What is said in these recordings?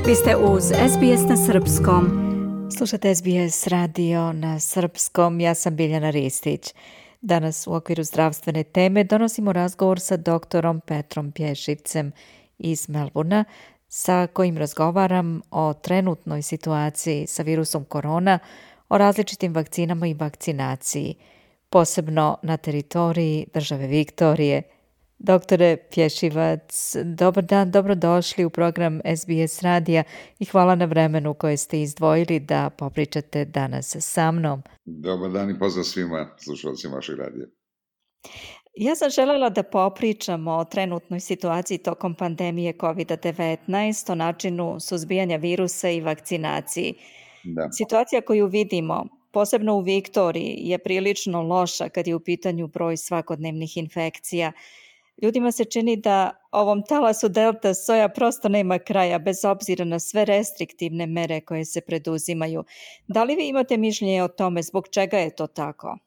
Vi ste uz SBS na srpskom. Slušate SBS radio na srpskom. Ja sam Biljana Ristić. Danas u okviru zdravstvene teme donosimo razgovor sa doktorom Petrom Pješivcem iz Melbourna, sa kojim razgovaram o trenutnoj situaciji sa virusom korona, o različitim vakcinama i vakcinaciji, posebno na teritoriji države Viktorije. Doktore Pješivac, dobar dan, dobrodošli u program SBS radija i hvala na vremenu koje ste izdvojili da popričate danas sa mnom. Dobar dan i pozdrav svima slušalcima vašeg radija. Ja sam željela da popričamo o trenutnoj situaciji tokom pandemije COVID-19, o načinu suzbijanja virusa i vakcinaciji. Da. Situacija koju vidimo, posebno u Viktoriji, je prilično loša kad je u pitanju broj svakodnevnih infekcija. Ljudima se čini da ovom talasu delta soja prosto nema kraja, bez obzira na sve restriktivne mere koje se preduzimaju. Da li vi imate mišljenje o tome zbog čega je to tako?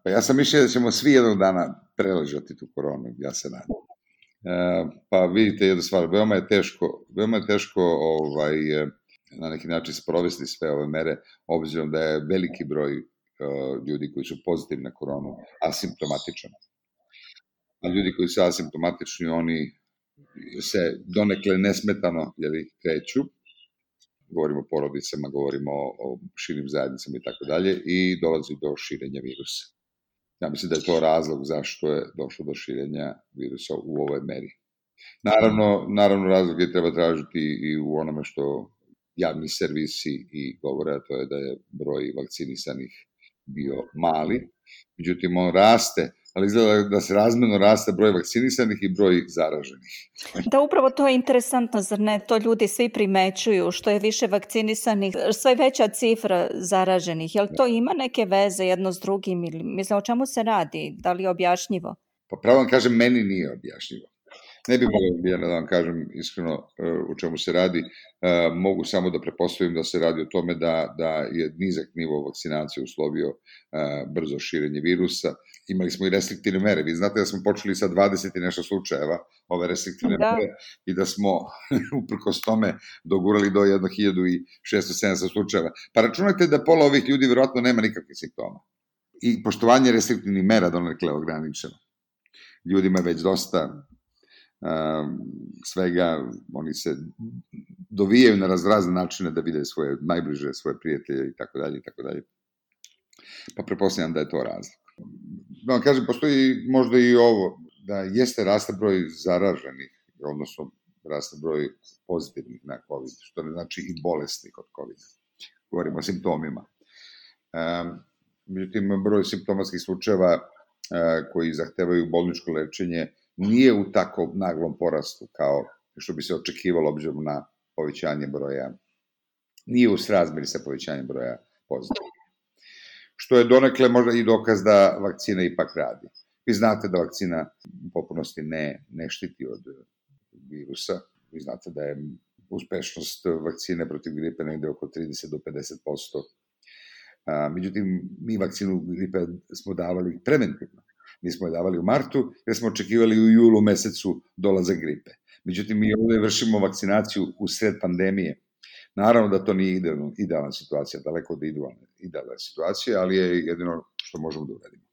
Pa ja sam mišljen da ćemo svi jednog dana preležati tu koronu, ja se nadam. Pa vidite jednu stvar, veoma je teško na neki način sprovesti sve ove mere, obzirom da je veliki broj ljudi koji su pozitivni na koronu asimptomatičan. A ljudi koji su asimptomatični, oni se donekle nesmetano kreću, govorimo o porodicama, govorimo o širim zajednicama i tako dalje, i dolazi do širenja virusa. Ja mislim da je to razlog zašto je došlo do širenja virusa u ovoj meri. Naravno razlog je treba tražiti i u onome što javni servisi i govore, a to je da je broj vakcinisanih bio mali, međutim on raste, ali izgleda da se razmjerno raste broj vakcinisanih i broj zaraženih. Da, upravo to je interesantno, zar ne? To ljudi svi primećuju, što je više vakcinisanih, sve veća cifra zaraženih. Jel to ima neke veze jedno s drugim? Ili, mislim, o čemu se radi? Da li je objašnjivo? Pa pravo vam kažem, meni nije objašnjivo. Ne bih mogao da vam kažem iskreno u čemu se radi. Mogu samo da pretpostavim da se radi o tome da je nizak nivo vakcinacije uslovio brzo širenje virusa. Imali smo i restriktivne mere. Vi znate da smo počeli sa 20 i nešto slučajeva ove restriktivne mere i da smo uprkos tome dogurali do 1600-700 slučajeva. Pa računajte da pola ovih ljudi vjerojatno nema nikakvih simptoma. I poštovanje restriktivnih mera donekle ograničeno. Ljudima je već dosta svega, oni se dovijaju na razne načine da vide svoje najbliže, svoje prijatelje i tako dalje. Pa pretpostavljam da je to razlog. Da vam kažem, postoji možda i ovo, da jeste raste broj zaraženih, odnosno raste broj pozitivnih na COVID, što ne znači i bolesnih od COVID. Govorimo o simptomima. Međutim, broj simptomatskih slučajeva koji zahtevaju bolničko lečenje nije u tako naglom porastu kao što bi se očekivalo obzirom na povećanje broja, nije u srazmeri sa povećanjem broja pozitivnih. Što je donekle možda i dokaz da vakcina ipak radi. Vi znate da vakcina u potpunosti ne štiti od virusa. Vi znate da je uspešnost vakcine protiv gripe negde oko 30 do 50%. Međutim, mi vakcinu gripe smo davali preventivno. Mi smo je davali u martu, jer smo očekivali u julu mesecu dolazak gripe. Međutim, mi ovdje vršimo vakcinaciju u sred pandemije. Naravno da to nije idealna situacija, daleko od idealna situacija, ali je jedino što možemo da uradimo.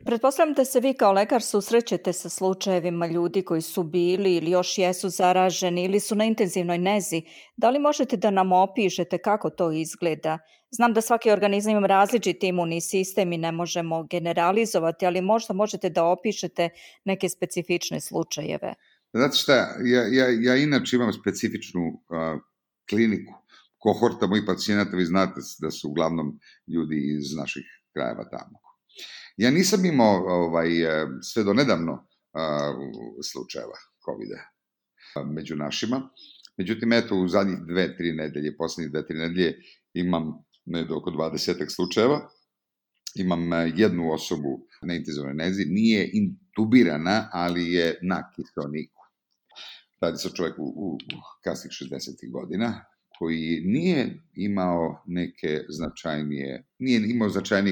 Pretpostavljam da se vi kao lekar susrećete sa slučajevima ljudi koji su bili ili još jesu zaraženi ili su na intenzivnoj nezi. Da li možete da nam opišete kako to izgleda? Znam da svaki organizam ima različiti imunni sistem i ne možemo generalizovati, ali možda možete da opišete neke specifične slučajeve. Znate šta, ja inače imam specifičnu kliniku. Kohorta mojih pacijenata, vi znate da su uglavnom ljudi iz naših krajeva tamo. Ja nisam imao sve do nedavno slučajeva COVID-a među našima. Međutim, eto, u zadnjih 2-3 nedelje, poslednjih 2-3 nedelje imam oko 20 slučajeva. Imam jednu osobu na intenzivnoj nezi, nije intubirana, ali je na kiseoniku. Radi se o čoveku u kasnih 60. godina, koji nije imao neke značajnije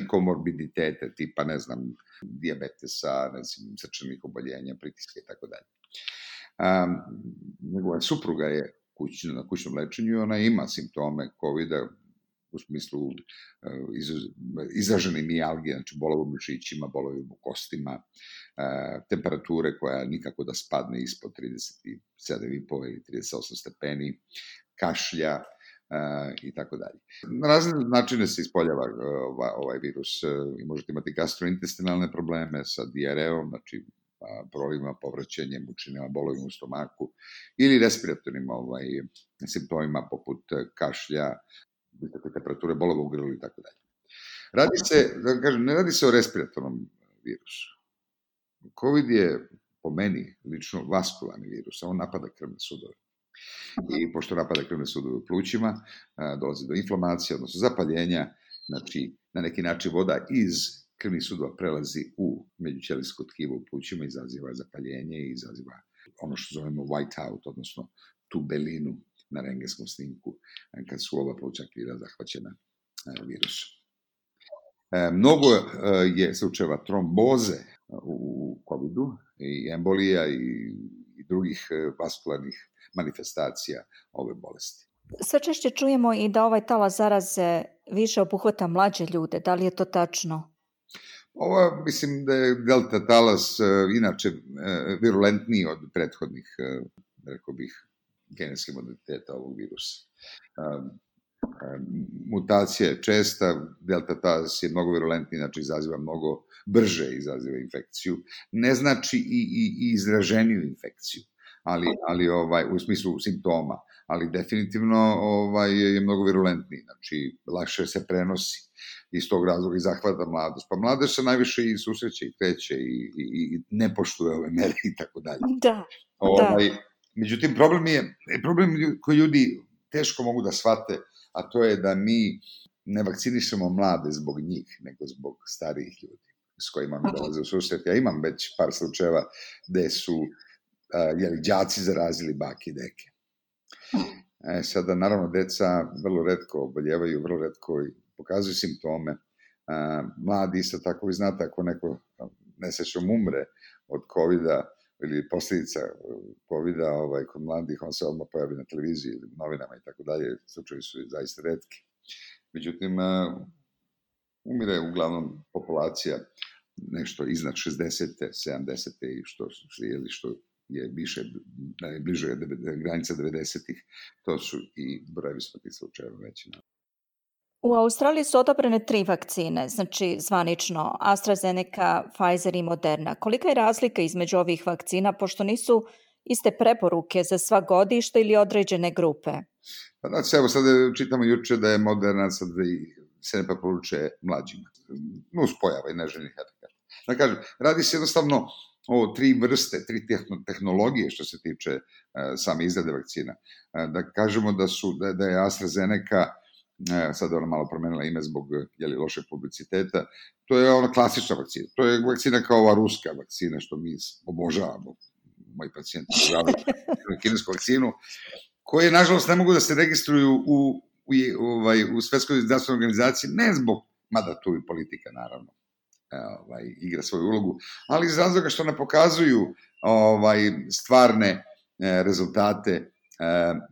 komorbiditete, tipa, ne znam, dijabetesa, srčanih oboljenja, pritiska i tako dalje. Njegova supruga je na kućnom lečenju i ona ima simptome COVID-a u smislu izražene mijalgije, znači bolovi u mišićima, bolovi u kostima, temperature koja nikako da spadne ispod 37,5 ili 38 stepeni, kašlja i tako dalje. Na razne načine se ispoljava ovaj virus i možete imati gastrointestinalne probleme sa dijareom, znači prolivima, povraćanjem, mučinama, bolovima u stomaku ili respiratornim simptomima poput kašlja, visoke temperature, bolova u grlu i tako dalje. Ne radi se o respiratornom virusu. COVID je, po meni, lično vaskularni virus, on napada krvne sudove. I pošto napada krvne sudove u plućima, dolazi do inflamacije, odnosno zapaljenja, znači na neki način voda iz krvnih sudova prelazi u međućelijsko tkivo u plućima, izaziva zapaljenje i izaziva ono što zovemo whiteout, odnosno tu belinu na rengenskom snimku kad su oba plućna krila zahvaćena virusom. Mnogo je slučajeva tromboze u COVID-u i embolija i drugih vaskularnih manifestacija ove bolesti. Sve češće čujemo i da ovaj talas zaraze više obuhvata mlađe ljude. Da li je to tačno? Mislim da je delta talas inače virulentniji od prethodnih, rekao bih, genetskih modaliteta ovog virusa. Mutacija je česta, delta talas je mnogo virulentniji, znači izaziva mnogo brže infekciju. Ne znači i izraženiju infekciju, ali u smislu simptoma, ali definitivno je mnogo virulentniji, znači lakše se prenosi. Iz tog razloga i zahvata mladost. Pa mladost se najviše i susreće i kreće i ne poštuje ove mere i tako dalje. Da. Međutim, problem koji ljudi teško mogu da shvate, a to je da mi ne vakcinišemo mlade zbog njih, nego zbog starijih ljudi s kojima mi dolaze u susret. Ja imam već par slučajeva gde su đaci zarazili bake i deke. Sada, naravno, deca vrlo retko oboljevaju, vrlo retko pokazuju simptome. Mladi isto tako, vi znate, ako neko nesrećom umre od COVID-a ili posljedica COVID-a kod mladih, on se odmah pojavi na televiziji ili novinama i tako dalje, slučajevi su zaista retki. Međutim, umire uglavnom populacija nešto iznad 60. 70. i što je više, bliže granica 90-ih, to su i brojevi smrtnih slučajeva veći. U Australiji su odobrene 3 vakcine, znači zvanično AstraZeneca, Pfizer i Moderna. Kolika je razlika između ovih vakcina, pošto nisu iste preporuke za sva godišta ili određene grupe? Pa znači, evo sad čitamo juče da je Moderna sad se ne preporučuje mlađima. Nuspojava i neželjenih efekata. Da kažem, radi se jednostavno o 3 vrste, 3 tehnologije što se tiče same izrade vakcina. Da kažemo da je AstraZeneca, sad ona malo promenila ime zbog lošeg publiciteta, to je ona klasična vakcina. To je vakcina kao ova ruska vakcina što mi obožavamo. Moji pacijenti obožavaju kinesku vakcinu, koje nažalost ne mogu da se registruju u Svetskoj zdravstvenoj organizaciji, ne zbog, mada tu i politika naravno igra svoju ulogu, ali iz razloga što ne pokazuju stvarne rezultate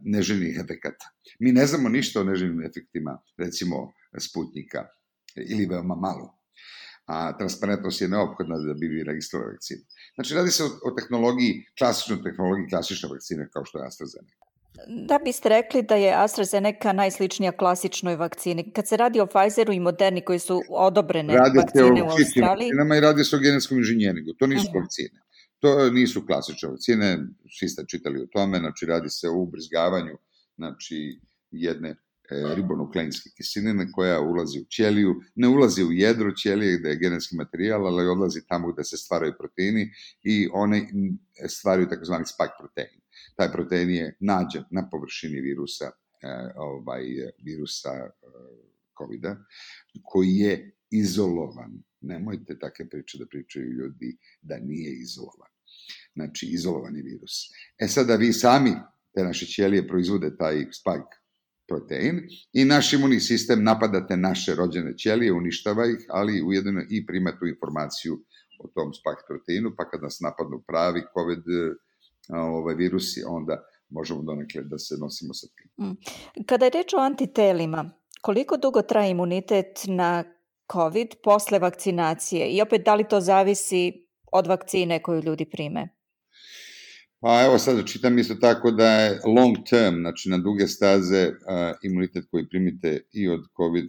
neželjenih efekata. Mi ne znamo ništa o neželjenim efektima, recimo Sputnika, ili veoma malo. A transparentnost je neophodna da bi vi registrovali vakcinu. Znači, radi se o tehnologiji, klasične vakcine kao što je AstraZeneca. Da biste rekli da je AstraZeneca najsličnija klasičnoj vakcini. Kad se radi o Pfizeru i Moderni koji su odobrene vakcine u Australiji... I radi se o genetskom inženjeringu. To nisu vakcine. To nisu klasične vakcine. Svi ste čitali o tome. Znači, radi se o ubrizgavanju jedne ribonukleinske kiseline koja ulazi u ćeliju. Ne ulazi u jedro ćelije gde je genetski materijal, ali odlazi tamo gde se stvaraju proteini i one stvaraju takozvani spike protein. Taj protein je nađen na površini virusa COVID-a, koji je izolovan. Nemojte takve priče da pričaju ljudi da nije izolovan. Znači, izolovan je virus. Sada vi sami, te naše ćelije, proizvode taj spike protein i naš imunni sistem napadate naše rođene ćelije, uništava ih, ali ujedno i prima tu informaciju o tom spike proteinu, pa kad nas napadnu pravi COVID virusi, onda možemo donekle da se nosimo sa tim. Kada je reč o antitelima, koliko dugo traje imunitet na COVID posle vakcinacije? I opet, da li to zavisi od vakcine koju ljudi prime? Pa evo sad čitam isto tako da je long term, znači na duge staze imunitet koji primite i od COVID,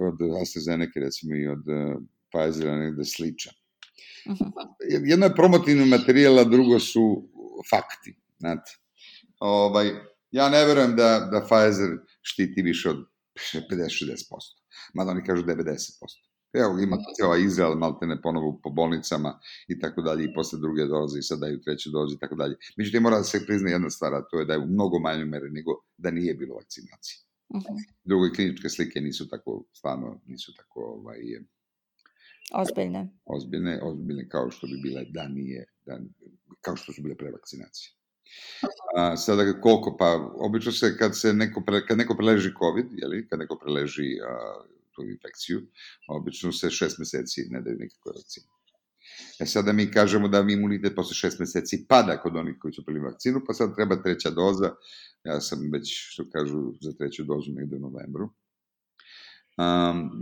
od AstraZeneca recimo i od Pfizera negde sličan. Jedno je promotivni materijal, a drugo su fakti. Znate. Ja ne verujem da Pfizer štiti više od 50-60%, mada oni kažu 90%. Evo, ima Izrael maltene ponovo po bolnicama i tako dalje, i posle druge doze i sad daju treću dozu i tako dalje. Međutim, mora da se prizna jedna stvar, a to je da je u mnogo manjoj meri nego da nije bilo vakcinacije. Drugo, kliničke slike nisu tako, stvarno nisu tako ozbiljne kao što bi bile kao što su bile pre vakcinacije. Sada koliko, pa obično se kad neko preleži COVID, kad neko preleži tu infekciju, obično se 6 meseci ne daju nikakve vakcine. Sada mi kažemo da imunitet posle 6 meseci pada kod onih koji su primili vakcinu, pa sad treba treća doza. Ja sam već, što kažu, za treću dozu negde u novembru.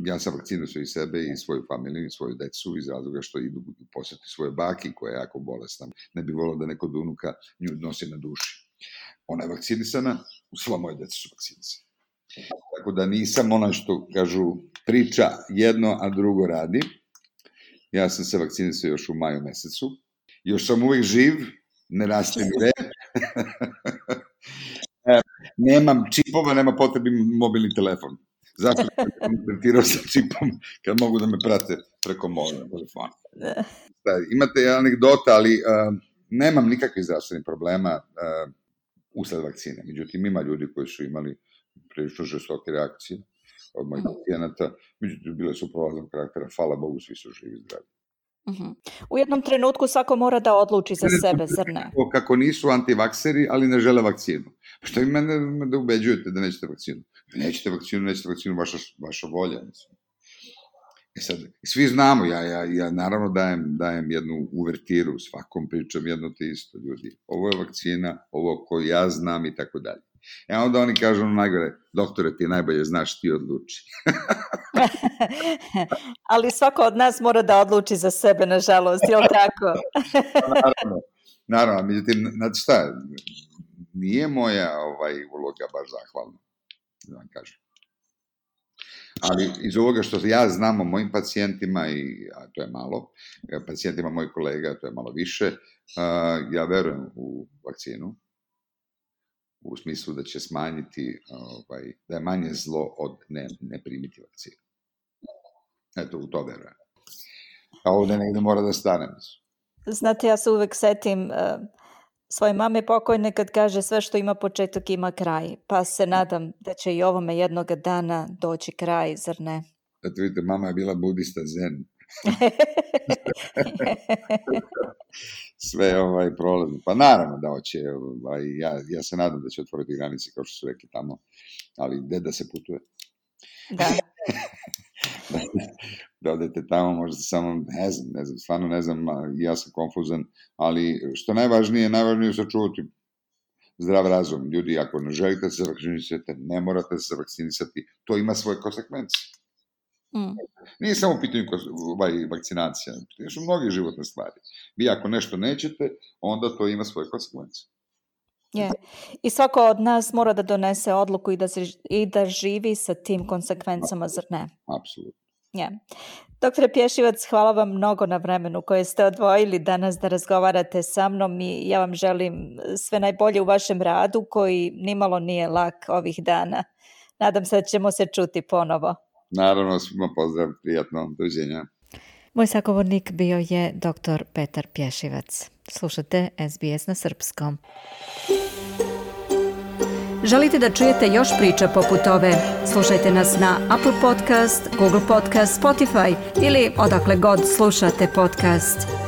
Ja sam vakcinisao i sebe i svoju familiju i svoju decu iz razloga što idu posjeti svoje baki koja je jako bolesna. Ne bi volao da neko od unuka nju nosi na duši. Ona je vakcinisana, sva moje deca su vakcinisane. Tako da nisam ono što kažu priča jedno, a drugo radi. Ja sam se vakcinisao još u maju mesecu. Još sam uvijek živ, ne raste mi rep. Nemam čipova, nema potrebi mobilni telefon. Zato sam tretirao sa čipom kad mogu da me prate preko mobilnog telefona. Imate anegdota, ali nemam nikakvih zdravstvenih problema usled vakcine. Međutim, ima ljudi koji su imali prilično žestoke reakcije od mojih pacijenata. Međutim, bile su prolaznog karaktera. Hvala Bogu, svi su živi i zdravi. U jednom trenutku svako mora da odluči za sebe, zar ne? Kako nisu antivakseri, ali ne žele vakcinu. Pa što vi mene da ubeđujete da nećete vakcinu? Nećete vakcinu, vaša volja. Sad, svi znamo, ja naravno dajem jednu uvertiru, svakom pričam jedno te isto, ljudi. Ovo je vakcina, ovo koju ja znam i tako dalje. Onda oni kažu najgore, doktore, ti najbolje znaš, ti odluči. Ali svako od nas mora da odluči za sebe, nažalost, je li tako? Naravno, međutim, znači šta, nije moja uloga baš zahvalna, da vam kažem. Ali iz ovoga što ja znam o mojim pacijentima, a to je malo, pacijentima mojih kolega, to je malo više, ja verujem u vakcinu, u smislu da će smanjiti, da je manje zlo od ne primiti vakcinu. Eto, u to verujem. A ovde negde mora da stanem. Znate, ja se uvek setim svoje mame pokojne kad kaže sve što ima početak ima kraj. Pa se nadam da će i ovome jednoga dana doći kraj, zar ne? Eto vidite, mama je bila budista zen. Sve prolazno. Pa naravno da hoće, ja se nadam da će otvoriti granice kao što su rekli tamo, ali gde da se putuje? Da. Da odete tamo, možda samo, ne znam, stvarno ne znam, ja sam konfuzan, ali što najvažnije je sačuvati zdrav razum. Ljudi, ako ne želite se vakcinisati, ne morate se vakcinisati, to ima svoje konsekvence. Nije samo u pitanju vakcinacija, to su mnoge životne stvari. Vi ako nešto nećete, onda to ima svoje konsekvence. I svako od nas mora da donese odluku i da živi sa tim konsekvencama, zar ne? Apsolutno. Doktore Pješivac, hvala vam mnogo na vremenu koje ste odvojili danas da razgovarate sa mnom i ja vam želim sve najbolje u vašem radu koji nimalo nije lak ovih dana. Nadam se da ćemo se čuti ponovo. Naravno, svima pozdrav, prijatno, doviđenja. Moj sagovornik bio je dr. Petar Pješivac. Slušate SBS na srpskom. Želite da čujete još priča poput ove? Slušajte nas na Apple Podcast, Google Podcast, Spotify ili odakle god slušate podcast.